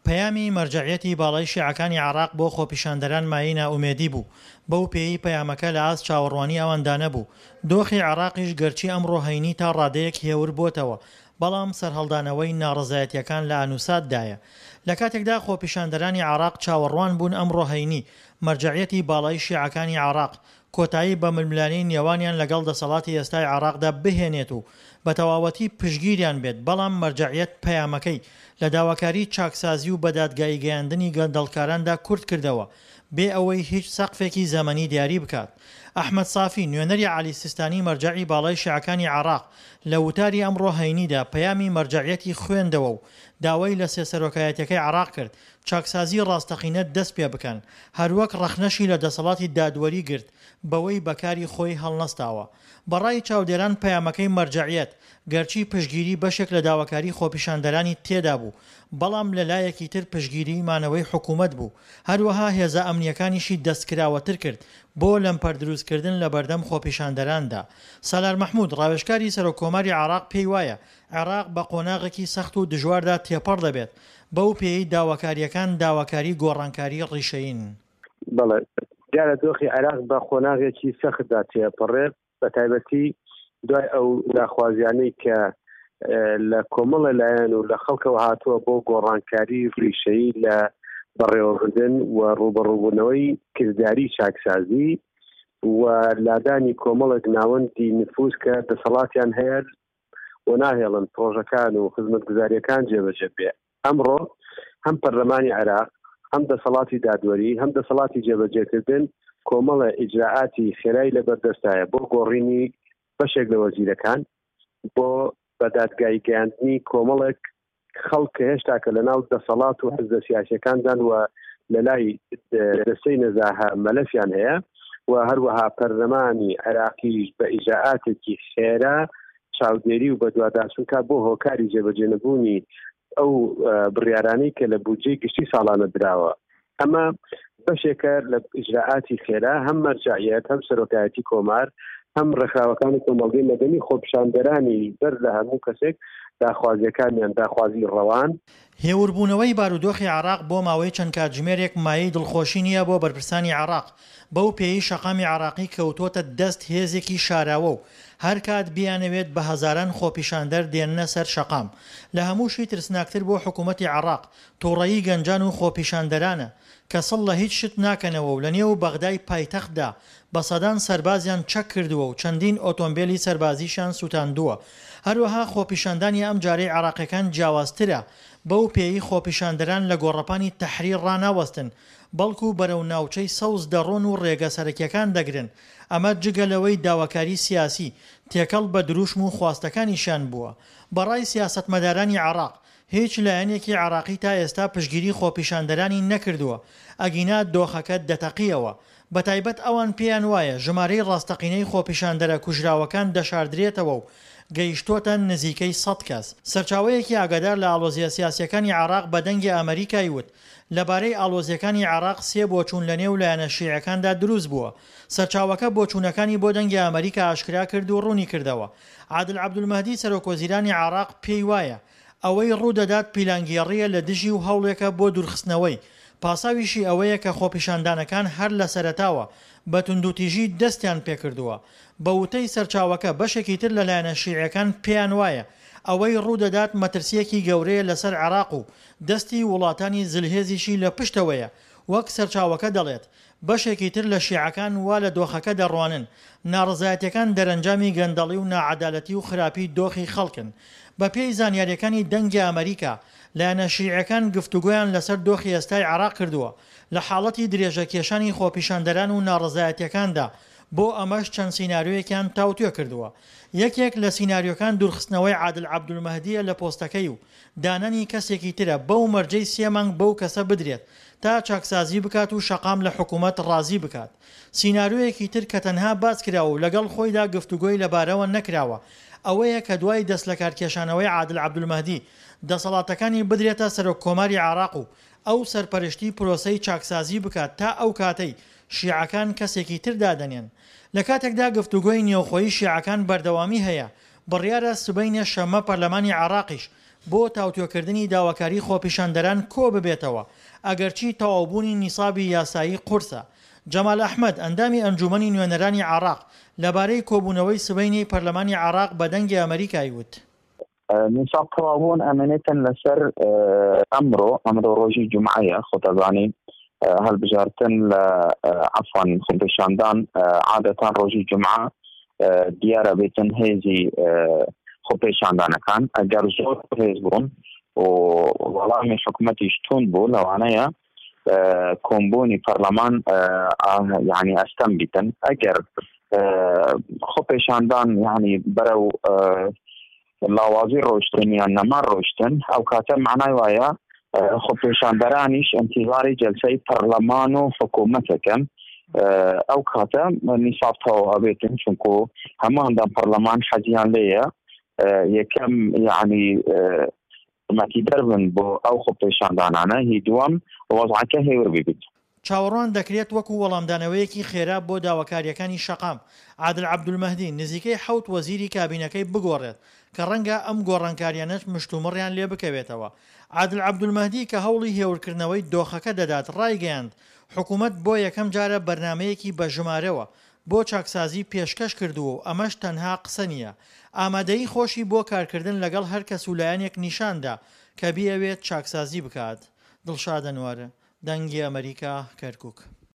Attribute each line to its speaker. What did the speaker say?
Speaker 1: پەیامی مەرجەعیەتی باڵای شیعەکانی عێراق بۆ خۆپیشاندەران مایەی نائومێدی بوو، بەو پێیەی پەیامەکە لە ئاست چاوەڕوانی ئەواندا نەبوو، دۆخی عێراقیش گەرچی ئەمڕۆ هەینی تا ڕادەیەک هێور بۆتەوە، بەڵام سەرهەڵدانەوەی ناڕەزایەتییەکان لە ئانوساتدایە. لە کاتێکدا خۆپیشاندەرانی عێراق چاوەڕوان بوون ئەمڕۆ هەینی مەرجەعیەتی باڵای شیعەکانی عێراق کۆتایی بە ململانێی نێوانیان لەگەڵ دەسەڵاتی ئێستای عێراقدا بهێنێت و بە تەواوەتی پشتگیریان بێت، بەڵام مەرجەعیەت پەیامەکەی لە داواکاری چاکسازی و بەدادگایی گەیاندنی گەندەڵکاراندا کورت کردەوە بێ ئەوەی هیچ سەقفێکی زەمەنی دیاری بکات. ئەحمەد سافی، نوێنەری عەلی سیستانی مەرجەعی باڵای شیعەکانی عێراق لە وتاری ئەمڕۆ هەینیدا پەیامی مەرجەعیەتی خوێندەوە و داوای لە سێ سەرۆکایەتیەکەی عێراق کرد چاکسازی ڕاستەقینە دەست پێ بکەن، هەروەک ڕەخنەشی لە دەسەڵاتی دادوەری گرت بەوەی بە کاری خۆی هەڵنەستاوە. بە ڕای چاودێران پەیامەکەی مەرجەعیەت گەرچی پشتگیری بەشێک لە داواکاری خۆپیشاندەرانی تێدا بوو، بەڵام لە لایەکی تر پشتگیریی مانەوەی حکوومەت بوو، هەروەها هێزە ئەمنییەکانیشی دەستکراوەتر کرد بۆ لەمپەر دروستکردن لە بەردەم خۆپیشاندەراندا. سالار مەحمود، ڕاوێژکاری سەرۆککۆماری عێراق پێی وایە عێراق بە قۆناغێکی سەخت و دژواردا تێپەڕ دەبێت، بەو پێیەی داواکارییەکان داواکاری گۆڕانکاری ڕیشەیین.
Speaker 2: بەڵێ، دیارە دۆخی عێراق بە قۆناغێکی سەختدا تێپەڕێت، بە تایبەتی دوای ئەو داخوازیانەی کە لە کۆمەڵە لایەن و لە خەڵکەوە هاتووە بۆ گۆڕانکاری ڕیشەیی لە بەڕێوەبردن و ڕووبەڕووبوونەوەی کرداری چاکسازی و لادانی کۆمەڵێک ناوەندی نفوز کە دەسەڵاتیان هەیە و ناهێڵن پرۆژەکان و خزمەتگوزاریەکان جێبەجێ بێ. ئەمڕۆ هەم پەرلەمانی عێراق، هەم دەسەڵاتی دادوەری، هەم دەسەڵاتی جێبەجێکردن کۆمەڵە ئیجرائاتی خێرای لەبەردەستایە بۆ گۆڕینی بەشێک لە وەزیرەکان، بۆ بە دادگایی گەیاندنی کۆمەڵێک خەڵک کە هێشتا کە لەناو دەسەڵات و حزبە سیاسیەکاندان و لەلای دەستەی نەزاهە مەلەفیان هەیە و هەروەها پەرلەمانی عێراقیش بە ئیجرائاتێکی خێرا چاودێری و بەدواداچوون کا بۆ هۆکاری جێبەجێنەبوونی ئەو بڕیارانەی کە لە بودجەی گشتی ساڵانە دراوە. ئەمە بەشێکە لە ئیجرائاتی خێرا، هەم مەرجەعیەت، هەم سەرۆکایەتی کۆمار، هەم ڕێکخراوەکانی کۆمەڵگەی مەدەنی، خۆپیشاندەرانی بەر لە هەموو کەسێک داخوازییەکانیان داخوازیی ڕەوان.
Speaker 1: هێوربوونەوەی بارودۆخی عێراق بۆ ماوەی چەند کاتژمێرێک مایەی دڵخۆشی نییە بۆ بەرپرسانی عێراق، بەو پێیەی شەقامی عێراقی کەوتووەتە دەست هێزێکی شاراوە و هەرکات بیانەوێت بە هەزاران خۆپیشاندەر دێننە سەر شەقام. لە هەمووشی ترسناکتر بۆ حکوومەتی عێراق، توڕەیی گەنجان و خۆپیشاندەرانە کە سڵ لە هیچ شت ناکەنەوە و لە نێو بەغدای پایتەختدا بە سەدان سەربازیان چەک کردووە و چەندین ئۆتۆمبێلی سەربازیشیان سوتاندووە. هەروەها خۆپیشاندانی ئەمجارەی عێراقیەکان جیاوازترە بەو پێیەی خۆپیشاندەران لە گۆڕەپانی تەحریر ڕاناوەستن بەڵکو بەرەو ناوچەی سەوز دەڕۆن و ڕێگە سەرەکیەکان دەگرن، ئەمە جگە لەوەی داواکاری سیاسی تێکەڵ بە دروشم و خواستەکانیشیان بووە. بەڕای سیاسەتمەدارانی عێراق هیچ لایەنێکی عێراقی تا ئێستا پشتگیری خۆپیشاندەرانی نەکردووە، ئەگینا دۆخەکە دەتەقیەوە. بەتایبەت ئەوان پێیان وایە ژمارەی ڕاستەقینەی خۆپیشاندەرە کوژراوەکان دەشاردرێتەوە و گەیشتۆتە نزیکەی سەد کەس. سەرچاوەیەکی ئاگادار لە ئاڵۆزییە سیاسییەکانی عێراق بە دەنگی ئەمەریکای وت، لەبارەی ئاڵۆزییەکانی عێراق سێ بۆچوون لەنێو لایەنە شیعەکاندا دروست بووە. سەرچاوەکە بۆچوونەکانی بۆ دەنگی ئەمەریکا ئاشکرا کرد و ڕوونیکردەوە، عادل عەبدولمەهدی سەرۆکوەزیرانی عێراق پێی وایە ئەوەی ڕوودەدات پیلانگێڕییە لە دژی و هەوڵێکە بۆ دوورخستنەوەی، پاساویشی ئەوەیە کە خۆپیشاندانەکان هەر لە سەرەتاوە بە توندوتیژی دەستیان پێکردووە. بە وتەی سەرچاوەکە بەشێکی تر لە لایەنە شیعیەکان پێیان وایە ئەوەی ڕوودەدات مەترسییەکی گەورەیە لەسەر عێراق و دەستی وڵاتانی زلهێزیشی لە پشتەوەیە، وەک سەرچاوەکە دەڵێت بەشێکی تر لە شیعەکان وا لە دۆخەکە دەڕوانن، ناڕەزایەتیەکان دەرەنجامی گەندەڵی و ناعەدالەتی و خراپی دۆخی خەڵکن. بە پێی زانیاریەکانی دەنگی ئەمەریکا، لایەنە شیعیەکان گفتوگۆیان لەسەر دۆخی ئێستای عێراق کردووە لە حاڵەتی درێژە کێشانی خۆپیشاندەران و ناڕەزایەتیەکاندا، بۆ ئەمەش چەند سیناریۆیەکیان تاوتوێ کردووە. یەکێک لە سیناریۆکان دوورخستنەوەی عادل عەبدولمەهدیە لە پۆستەکەی و دانانی کەسێکی ترە بەو مەرجەی سێ مانگ بەو کەسە بدرێت تا چاکسازی بکات و شەقام لە حکومەت ڕازی بکات. سیناریۆیەکی تر کە تەنها باس کراوە و لەگەڵ خۆیدا گفتوگۆی لەبارەوە نەکراوە ئەوەیە کە دوای دەستلەکارکێشانەوەی عادل عەبدولمەهدی دەسەڵاتەکانی بدرێتە سەرۆک کۆماری عێراق و ئەو سەرپەرشتی پرۆسەی چاکسازی بکات تا ئەو کاتەی شیعەکان کەسێکی تر دادەنێن. لە کاتێکدا گفتوگۆی نێوخۆیی شیعەکان بەردەوامی هەیە، بڕیارە سبەینێ شەممە پەرلەمانی عێراقیش بۆ تاوتوێکردنی داواکاری خۆپیشاندەران کۆببێتەوە، ئەگەرچی تەواوبوونی نیسابی یاسایی قورسە. جەمال ئەحمەد، ئەندامی ئەنجوومەنی نوێنەرانی عێراق، لەبارەی کۆبوونەوەی سبەینێی پەرلەمانی عێراق بە دەنگی ئەمەریکای وت.
Speaker 3: نیساب تەواوبوون ئەمێنێتن لەسەر ئەمڕۆ، ئەمڕۆ ڕۆژی جومعەیە، خۆتەزانی هەڵبژارتن لە عەفوان خۆپیشاندان عادەتان ڕۆژی جومعە دیارە بێتن هێزی خۆپێشاندانەکان ئەگەر زۆر هێز بوون و وەڵامی حکومەتیش توند بوو لەوانەیە کۆمبوونی پەرلەمان یعنی ئەستەم بیتن ئەگەر خۆپێشاندان یعنی بەرەو لاوازی ڕۆشتن یان نەما ڕۆشتن ئەو کاتە معنای وایە خۆپێشاندەرانیش ئینتیزاری جەلسەی پەرلەمان و حکوومەتەکەن ئەو کاتە نیساب تەواو ئەبێتن چونکو هەموو ئەندام پەرلەمان حەزیان لێیە یەکەم یعنی یارمەتیدەر بن بۆ ئەو خۆپێشاندانانە، هی دووەم وەزعەکە هێور ببیت.
Speaker 1: چاوەڕوان دەکرێت وەکو وەڵامدانەوەیەکی خێرا بۆ داواکارییەکانی شەقام، عادل عەبدولمەهدی نزیکەی حەوت وەزیری کابینەکەی بگۆڕێت، کە ڕەنگە ئەم گۆڕانکارییانەش مشتومڕیان لێ بکەوێتەوە. عادل عەبدولمەهدی کە هەوڵی هێورکردنەوەی دۆخەکە دەدات ڕایگەیاند، حکومەت بۆ یەکەم جارە بەرنامەیەکی بە ژمارەوە بۆ چاکسازی پێشکەش کردووە و ئەمەش تەنها قسە نییە، ئامادەیی خۆشی بۆ کارکردن لەگەڵ هەر کەس و لایەنێک نیشان دا کە بیەوێت چاکسازی بکات. دڵشاد ئەنوەر، دەنگی ئەمەریکا، کەرکوک.